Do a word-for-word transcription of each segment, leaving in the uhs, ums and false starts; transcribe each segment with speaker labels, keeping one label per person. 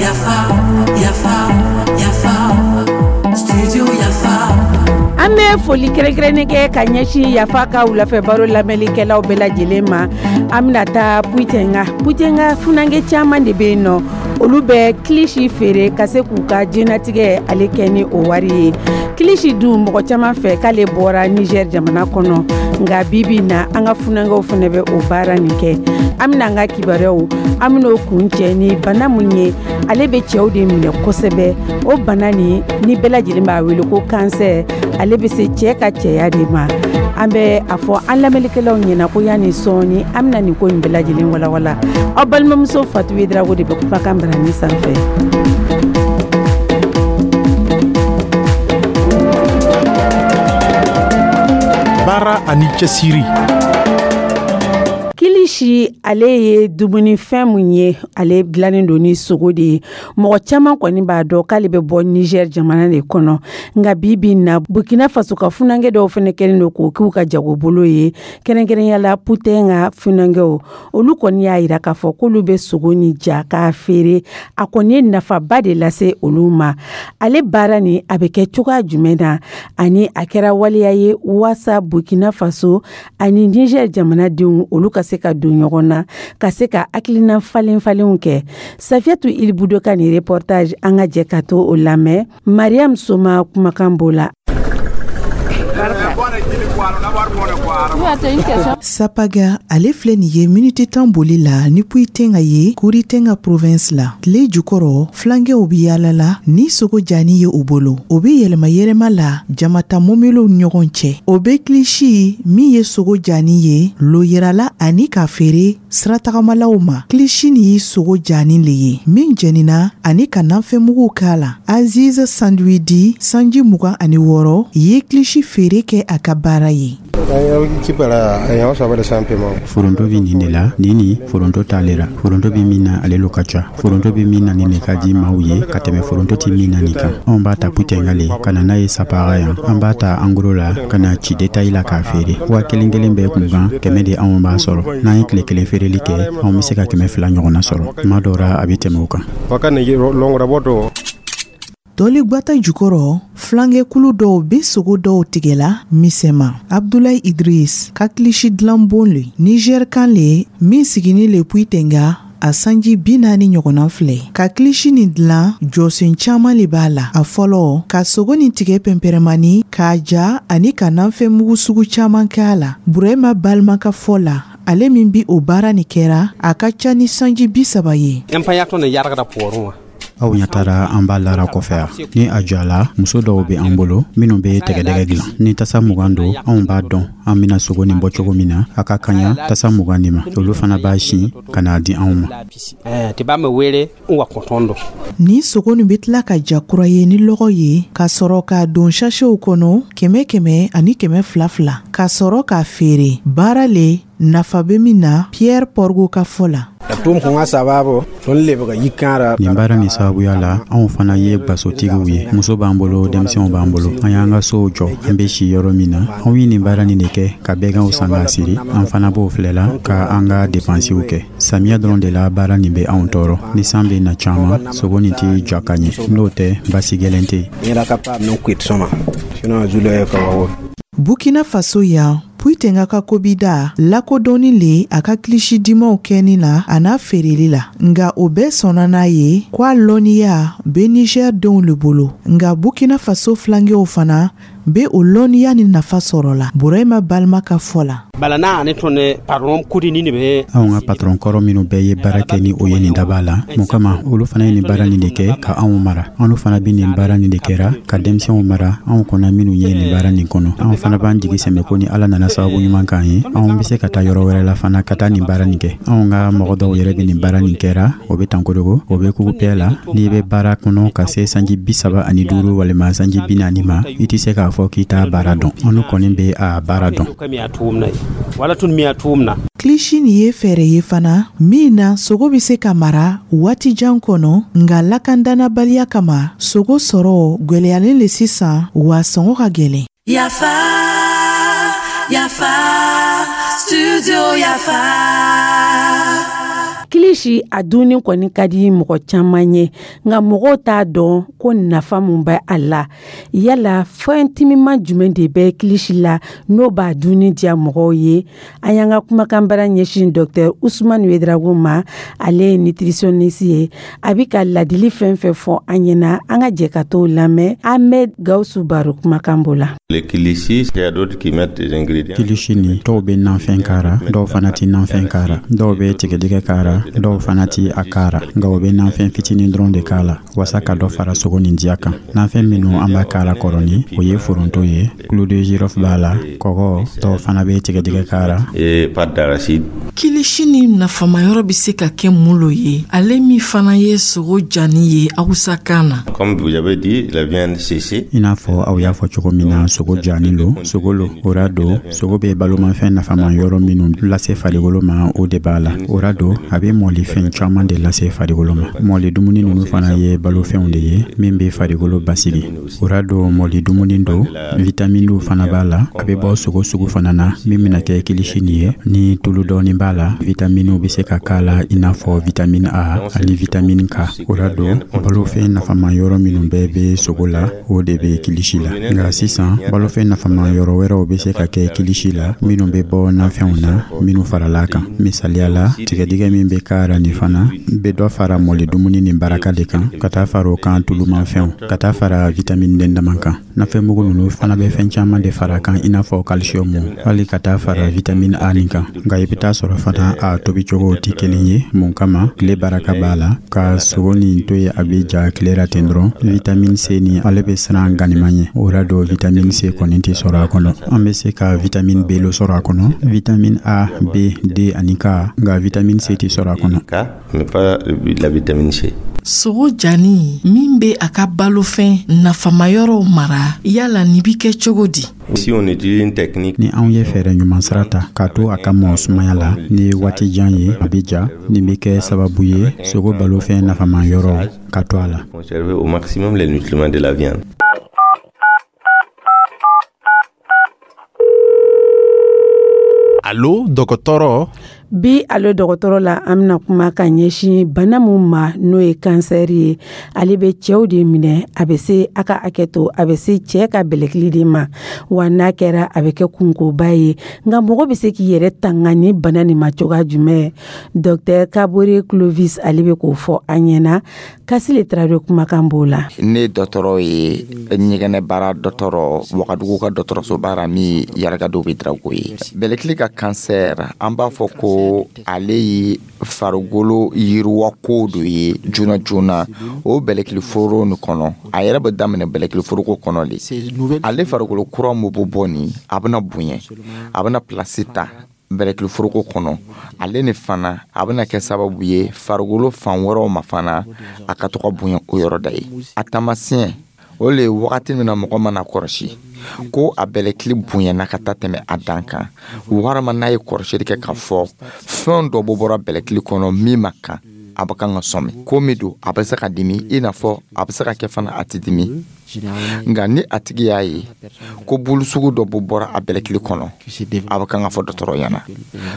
Speaker 1: Yafa, yafa, yafa, studio Yafa.
Speaker 2: An bɛ foli kɛrɛnkɛrɛnnen kɛ ka ɲɛsin Yafa ka wulafɛ baro lamɛnlikɛlaw bɛɛ lajɛlen ma. An bɛna taa Pouyitenga. Pouyitenga, funankɛ caman de bɛ yen nɔ, olu bɛ kilisi feere ka se k'u ka diɲɛnatigɛ ale kɛ ni o wari ye. Kilisi dun, mɔgɔ caman fɛ k'ale bɔra Niger jamana kɔnɔ, nka bibi na, an ka funankɛw fana bɛ o baara nin kɛ. An bɛna an ka kibaruyaw, an bɛn'o kun cɛ ni bana mun ye, ale bɛ cɛw de minɛ kosɛbɛ. O bana nin ni bɛɛ lajɛlen b'a wele ko kansɛr, ale bɛ se cɛ ka cɛya de ma. An bɛ a fɔ an lamɛnlikɛlaw ɲɛna ko yanni sɔɔni, an bɛna nin ko in bɛɛ lajɛlen walawala. Aw balimamuso Fatu Drago de bɛ kumakan barani sanfɛ.
Speaker 3: Baara ani cɛsiri.
Speaker 2: Kilisi, ale ye dumunifɛn mun ye, ale dilannen don ni sogo de ye. Mɔgɔ caman kɔni b'a dɔn k'ale bɛ bɔ Niger jamana de kɔnɔ, nka bi bi na, Burkina Faso ka funankɛ dɔw fana kɛlen don k'o k'u ka jagobolo ye, kɛrɛnkɛrɛnya la Pouyitenga funankɛw. Olu kɔni y'a yira k'a fɔ k'olu bɛ sogo ni ja k'a feere. A kɔni ye nafaba de lase olu ma. Ale baara nin, a bɛ kɛ cogoya jumɛn na, ani a kɛra waleya ye waasa Burkina Faso ani Niger jamanadenw, olu ka se ka don ɲɔgɔn na, ka se ka hakilina falen falenw kɛ? Safiyatu Ilibudo ka nin reportage, an ka jɛ ka to o lamɛn. Mariam Soma kumakan b'o la.
Speaker 4: Sapaga, ale filɛ nin ye miniti tan boli la ni Pouyitenga ye, Kouritenga province la. Tile jukɔrɔ, filankɛw bi yaala la ni sogo jani ye u bolo. O be yɛlɛma yɛlɛma la jamata mobiliw ɲɔgɔn cɛ. O be kilisi min ye sogo jani ye lo yirala ani k'a feere siratagamaw ma. Kilisi nin ye sogo jani le ye min jɛnina ani ka nafɛnmuguw k'a la. Aziz Sanduidi, sanji mugan ani wɔɔrɔ, ye kilisi feere kɛ a ka baara ye.
Speaker 5: Foronto bɛ nin de la. Nin ni foronto t'ale ra. Foronto bɛ min na, ale lo ka ca. Foronto bɛ min na, nin de ka di maaw ye ka tɛmɛ foronto tɛ min na nin kan. Anw b'a ta Pouyitenga le ka na n'a ye Sapaga yan. An b'a ta en gros la ka na ci détail la k'a feere. Waa kelen kelen bɛɛ kun kan, kɛmɛ de anw b'a sɔrɔ. N'an ye tile kelen feereli kɛ, anw bɛ se ka kɛmɛ fila ɲɔgɔnna sɔrɔ. Tuma dɔw ra, a bɛ tɛmɛ o kan.
Speaker 4: Tɔli gwata jukɔrɔ, filankɛkulu dɔw be sogo dɔw tigɛla misɛma. Abdulayi Idris ka kilisi dilanbon le, Niger kan le min sigini le Pouyitenga, a sanji bi naani ɲɔgɔnna filɛ ka kilisi nin dilan. Jɔsen caaman le b'a la. A fɔlɔ, ka sogo nin tigɛ pɛnpɛrɛmani k'a ja ani ka nafɛnmugu sugu caaman kɛ a la. Burɛma balima ka fɔ la, ale min bi o baara nin kɛra, a ka ca ni sanji bi saba ye.
Speaker 5: Aw ɲɛ taara, an b'a lara kɔfɛ yan. Ni a jɔla, muso dɔw bɛ an bolo minnu bɛ tɛgɛdɛgɛ dilan. Ni tasa mugan don, anw b'a dɔn an bɛna sogo nin bɔ cogo min na, a ka kaɲa tasa mugan nin ma. Olu fana b'a sin ka n'a di anw ma.
Speaker 4: Ni sogo nin bɛ tila ka ja kura ye ni lɔgɔ ye, ka sɔrɔ k'a don sachetw kɔnɔ, kɛmɛ kɛmɛ ani kɛmɛ fila fila, ka sɔrɔ k'a feere. Baara le nafa bɛ min na, Pierre Porgo ka fɔ la.
Speaker 5: Nin baara nin sababuya la, anw fana ye gasotigiw ye. Muso b'an bolo, denmisɛnw b'an bolo, an y'an ka sow jɔ, an bɛ si yɔrɔ min na. Anw ye nin baara nin de kɛ ka bɛganw san k'a siri. An fana b'o filɛla ka an ka depansiw kɛ. Samiya dɔrɔn de la, baara nin bɛ anw tɔɔrɔ. Ni san bɛ na caman, sogo nin tɛ ja ka ɲɛ. N'o tɛ, basi gɛlɛn tɛ yen.
Speaker 4: Burkina Faso yan, Pouyitenga ka kobida lakodɔnni le a ka kilisi dimaw kɛni na a n'a feereli la, nga o bɛɛ sɔnna n'a ye ko a lɔnniya be Niger denw le bolo. Nga Burkina Faso filankɛw fana be o lɔnniya ni nafa sɔrɔ la, Burɛma balima ka fɔ la.
Speaker 5: Anw ka patɔrɔn kɔrɔ minnu bɛɛ ye baara kɛ ni o ye nin daba la, mun kama, olu fana ye nin baara nin de kɛ ka anw mara. Anw fana bɛ nin baara nin de kɛra ka denmisɛnw mara. Anw kɔnɔ minnu ye nin baara nin kɔnɔ, anw fana b'an jigi sɛmɛ ko ni Ala nana sababu ɲuman k'an ye, anw bɛ se ka taa yɔrɔ wɛrɛ la fana ka taa nin baara nin kɛ. Anw ka mɔgɔ dɔw yɛrɛ bɛ nin baara nin kɛra, o bɛ Tankorogo, o bɛ Kugupɛ la. N'i bɛ baara kɔnɔ ka se sanji bi saba ani duuru walima sanji bi naani ma, i tɛ se k'a fɔ k'i t'a baara dɔn. Anw kɔni bɛ a baara dɔn.
Speaker 4: Kilisi nin ye fɛɛrɛ ye fana min na sogo bɛ se ka mara waati jan kɔnɔ, nka lakandanabaliya kama, sogo sɔrɔ gwɛlɛyalen le sisan, wa sɔngɔ ka gwɛlɛn.
Speaker 1: Yafa, yafa, Studio Yafa.
Speaker 2: Kilisi a dunni kɔni ka di mɔgɔ caman ye, nka mɔgɔw t'a dɔn ko nafa mun bɛ a la. Yala fɛn timiman jumɛn de bɛ kilisi la n'o b'a dunni diya mɔgɔw ye? An y'an ka kumakanbara ɲɛsin Docteur Usumani Wedrago ma. Ale ye nutritionniste ye. A bɛ ka ladili fɛn fɛn fɔ an ɲɛna, an ka jɛ ka t'o lamɛn. Ahmed Gawusu Baro kumakan b'o la.
Speaker 5: Kilisi nin, dɔw bɛ nafɛn k'a ra, dɔw fana tɛ nafɛn k'a ra, dɔw bɛ tigɛdɛgɛ k'a ra, dɔw fana ti a k'a ra, nka o bɛ nafɛn fitinin dɔrɔn de k'a la wasa ka dɔ fara sogo nin diya kan. Nafɛn minnu an b'a k'a la kɔrɔni, o ye foronto ye, clou de girofle b'a la, kɔgɔ, dɔw fana bɛ tigɛdɛgɛ k'a ra.
Speaker 6: Kilisi ni nafamayɔrɔ bɛ se ka kɛ mun lo ye, ale min fana ye sogo jani ye awusakan na?
Speaker 5: I n'a fɔ aw y'a fɔ cogo min na, sogo jani lo, sogo lo. O ra don, sogo bɛ balomafɛn nafama yɔrɔ minnu lase farikolo ma, o de b'a la. O ra don, a bɛ mɔlifɛn caman de lase farikolo ma. Mɔli dumuni ninnu fana ye balofɛnw de ye min bɛ farikolo basigi. O ra don, mɔli dumuni don, vitaminiw fana b'a la. A bɛ bɔ sogo sugu fana na min bɛna kɛ kilisi nin ye, ni tulu dɔɔni b'a la, vitaminiw bɛ se ka k'a la, i n'a fɔ vitamine A ani vitamine K. O ra don, balofɛn nafama yɔrɔ minnu bɛɛ bɛ sogo la, o de bɛ kilisi la. Nka sisan, balofɛn nafama yɔrɔ wɛrɛw bɛ se ka kɛ kilisi la minnu bɛ bɔ nafɛnw na minnu farala kan. Misaliya la, tigɛdɛgɛ min bɛ k'a ra nin fana bɛ dɔ fara mɔli dumuni nin baraka de kan, ka taa fara o kan tulumafɛnw, ka taa fara vitamine den dama kan. Nafɛnmugu ninnu fana bɛ fɛn caman de fara kan, i n'a fɔ calcium, hali ka taa fara vitamine A nin kan. Nka i bɛ taa sɔrɔ fana a tobicogo tɛ kelen ye. Mun kama? Tile baraka b'a la. Ka sogo nin to yen a bɛ ja tile la ten dɔrɔn, vitamine C nin, ale bɛ siran ganiman ɲɛ. O ra don, vitamine C kɔni tɛ sɔrɔ a kɔnɔ. An bɛ se ka vitamine B lo sɔrɔ a kɔnɔ, vitamine A, B, D ani K, nka vitamine C tɛ sɔrɔ a kɔnɔ.
Speaker 6: Sogo jani min bɛ a ka balofɛn nafamayɔrɔw mara, yala nin bi kɛ cogo di?
Speaker 5: Ni anw ye fɛɛrɛ ɲuman sira ta k'a to a ka mɔ sumaya la ni waati jan ye, a bɛ ja. Nin bɛ kɛ sababu ye sogo balofɛn nafama yɔrɔw ka to a la.
Speaker 3: Alo dɔgɔtɔrɔ.
Speaker 2: Bi Alo dɔgɔtɔrɔ la, an bɛna kuma ka ɲɛsin bana mun ma, n'o ye kansɛri ye. Ale bɛ cɛw de minɛ. A bɛ se a ka hakɛ to, a bɛ se cɛ ka bɛlɛkili de ma wa. N'a kɛra, a bɛ kɛ kunkoba ye. Nka mɔgɔ bɛ se k'i yɛrɛ tanga ni bana nin ma cogoya jumɛn? Docteur Kabore Clovis, ale bɛ k'o fɔ an ɲɛna. Kasile Tarawele kumakan b'o la.
Speaker 7: Ne dɔgɔtɔrɔ ye ɲɛgɛnɛ baara dɔgɔtɔrɔ, Wagadugu ka dɔgɔtɔrɔso baara min Yarakadow bɛ Drago ye. Bɛlɛkili ka kansɛr, an b'a fɔ ko ale ye farikolo yiriwako dɔ ye joona joona o bɛlɛkili foro nin kɔnɔ. A yɛrɛ bɛ daminɛ bɛlɛkili foroko kɔnɔ de. Ale farikolo kura min bɛ bɔ nin, a bɛna bonya, a bɛna pilasi ta bɛlɛkili foroko kɔnɔ. Ale ni fana a bɛna kɛ sababu ye farikolo fan wɛrɛw ma fana, a ka to ka bonya o yɔrɔ da ye. A taamasiyɛn o le ye wagati min na mɔgɔ mana kɔlɔsi ko a bɛlɛkili bonyana ka taa tɛmɛ a dan kan, walima n'a ye kɔlɔsili kɛ k'a fɔ fɛn dɔ bɔ bɔra bɛlɛkili kɔnɔ min ma kan, a bɛ kan ka sɔmi ko min don, a bɛ se ka dimi, i n'a fɔ a bɛ se ka kɛ fana a tɛ dimi. Nka ni a tigi y'a ye ko bulu sugu dɔ bɔ bɔra a bɛlɛkili kɔnɔ, a bɛ kan ka fɔ dɔgɔtɔrɔ ɲɛna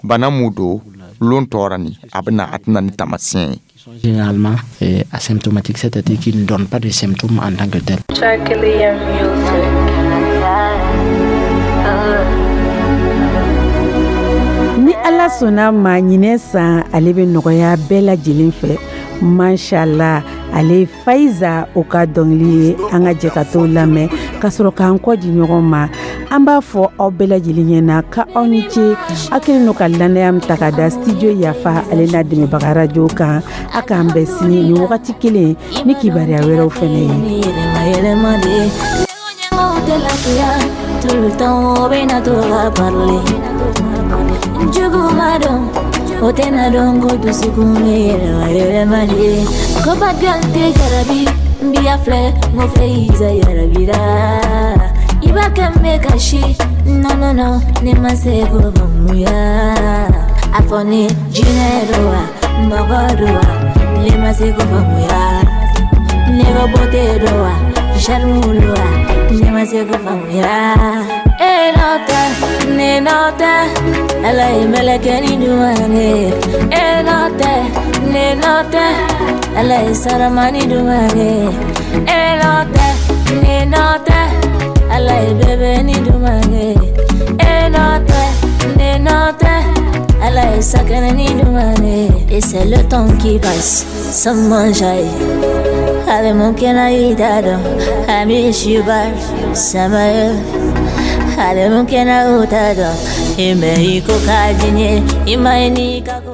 Speaker 7: bana mun don. Lon tɔɔrɔ ni a bɛ na, a tɛna ni taamasiyɛn ye.
Speaker 8: Généralement euh, asymptomatique, c'est-à-dire qui ne donne pas de symptômes en tant que tel.
Speaker 2: Ni Ala sɔnna ma, ɲinɛ san ale bɛ nɔgɔya bɛɛ lajɛlen fɛ, mashallah. Ale Faiza o ka dɔnkili ye, an ka jɛ ka t'o lamɛn ka sɔrɔ k'an kɔ di ɲɔgɔn ma. An b'a fɔ aw bɛɛ lajɛlen ɲɛna ka aw ni ce. Aw kɛlen don ka lannaya min ta ka da Studio Yafa ale n'a dɛmɛbaga radio kan. A k'an bɛn sini ni wagati kelen ni kibaruya wɛrɛw fɛnɛ ye.
Speaker 9: Tout le temps, on a tout à parler. Jugumadon, otena dongo dusukun bɛ yɛlɛma yɛlɛma de. Ko bagal tɛ jarabi, n b'i filɛ, n ko Faiza yarabira. I b'a kɛ n bɛ kasi, non non non, ne ma se k'o faamuya. A fɔ ne jinɛ don wa, mɔgɔ don wa, ne ma se k'o faamuya. Ne ka beauté don wa, charme don wa, ne ma se k'o faamuya. Eh. E nɔ tɛ, ne nɔ tɛ, Ala ye mɛlɛkɛni ɲuman ye. E nɔ tɛ, ne nɔ tɛ, Ala ye saramani ɲuman ye. E nɔ tɛ, ne nɔ tɛ, Ala ye bébé ni ɲuman ye. E nɔ tɛ, ne nɔ tɛ, Ala ye sakɛnɛ ni ɲuman ye. Et c'est le temps qui passe sans manger. Avec mon kenayidado, I miss you but sama ale mun kena utado ime iko kajinye imaini ka.